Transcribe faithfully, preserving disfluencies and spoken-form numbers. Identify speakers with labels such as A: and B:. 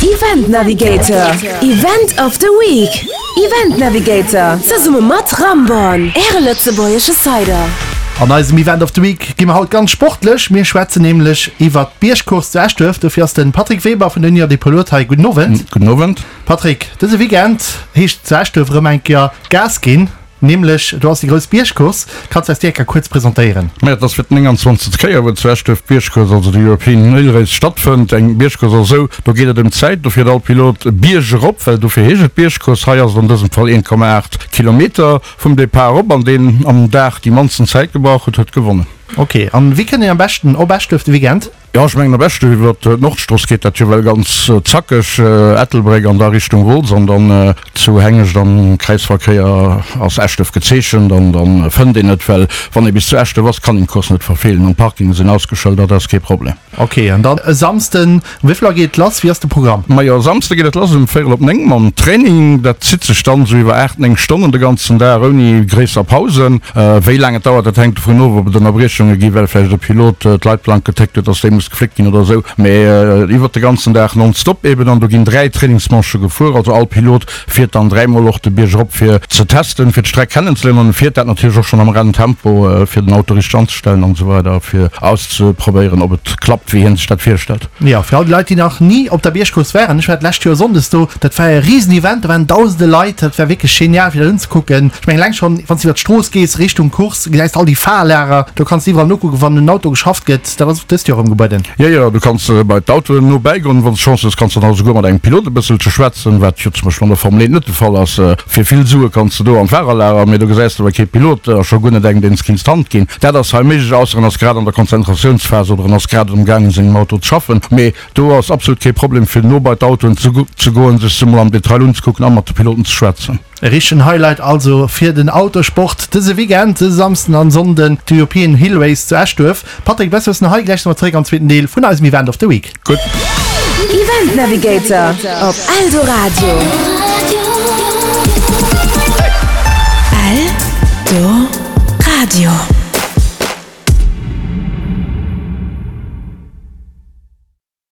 A: Event Navigator, Event of the Week. Event Navigator, zesumme mat Ramborn, Äre lëtzebuergesche Cider.
B: An eisem Event of the Week gi mer haut ganz sportlech. Mir schwätzen nämlech iwwert d'Biergcourse zu Eschduerf. Dofir ass de Patrick Weber vun der Union des Pilotes hei. Gudden Owend.
C: Gudden Owend.
B: Patrick, dëse Weekend heescht et zu Eschduerf erëm eng Kéier Gas ginn. Nämlech do ass déi grouss Biergcourse. Kanns de eis déi eng Kéier kuerz presentéieren?
C: Majo, et ass fir d'nénganzwanzegst Kéier, wou zu Eschduerf d'Biergcourse, also de European Hill Race, stattfënnt. Eng Biergcourse ass esou, do geet et ëm d'Zäit, do fiert all Pilot Bierg erop, well dofir heescht et Biergcourse. Hei ass et an dësem Fall een Komma aacht Kilometer vum Depart op, an deen am Dag déi mannsten Zäit gebrauch huet, huet gewonnen.
B: Ok, an wéi kënnt een am beschten op Eschduerf de Weekend?
C: Jo, ech mengen am beschten iwwer d'Nordstrooss geet dat jo well ganz zackeg, Ettelbréck an da Richtung Wolz an dann zu Hengescht am Kräizverkéier ass Eschduerf gezeechent an dann fënnt een et, well wann ee bis zu Eschduerf ass, kann een d'Course net verfeelen an d'Parkingen sinn ausgeschëldert, dat ass kee Problem.
B: Ok, an dann e Samsden, um wéivill Auer geet et lass? Wéi ass de Programm?
C: Majo, e Samsde geet et lass um véierel op néng mam Training, dat zitt sech dann esou iwwer aacht, néng Stonnen de ganzen Dag ouni gréisser Pausen. Wéi laang et dauert, dat hänkt dovun of, ob et Ënnerbriechunge gi well vläicht e Pilot d'Leitplank getéckt huet, dass déi muss gefléckt ginn oder esou, mee iwwert de ganzen Dag nonstop eben. An do ginn dräi Trainingsmanchë gefuer, also all Pilot fiert dann dräimol och de Bierg erop fir ze testen, fir d'Streck kennenzeléieren an e fiert dat natierlech och schonn am Renntempo, fir den Auto richteg anzestellen an esou weider, fir auszeprobéieren, ob et klappt, wéi hien sech dat virstellt.
B: Jo, fir all déi Leit, déi nach ni op der Biergcourse waren, ech war d'lescht Joer sonndes do, dat war e Risenevent, do waren dausende Leit, dat war wierklech genial fir dat unzekucken. Ech mengen eleng schonn, wann s de iwwer d'Strooss gees Richtung Course, gesäis de all déi Fahrlager, do kanns de iwwerall nokucken, wann un Auto geschafft gëtt. Dat ass och dëst Joer erëm gebueden.
C: Jo, jo, du kanns bei d'Autoen no bäigoen. Wann s de Chance hues, kanns de dann och esouguer mat engem Pilot e bësselche schwätzen, wat jo zum Beispill an der Formel eent net de Fall ass. Fir vill Sue kanns de do an d'Fahrerlager, mee do gesäis de awer kee Pilot a scho guer net engem, deen s kinns d'Hand ginn. Dat ass hei méiglech, ausser en ass grad an der Konzentratiounsphas oder en ass grad um gaang un sengem Auto ze schaffen. Mee do ass absolut kee Problem, fir no bei d'Autoen ze goen, sech se mol am Detail unzekucken a mat de Piloten ze schwätzen.
B: E richtegen Highlight also fir den Autosport dëse Weekend, dëse Samsden an Sonnden, de European Hill Race zu Eschduerf. Patrick, bess wëssen hei, gläich si mer zeréck am zweeten Deel vun eisem Event of the Week.
C: Gutt.
A: Event Navigator op Eldoradio. Eldoradio.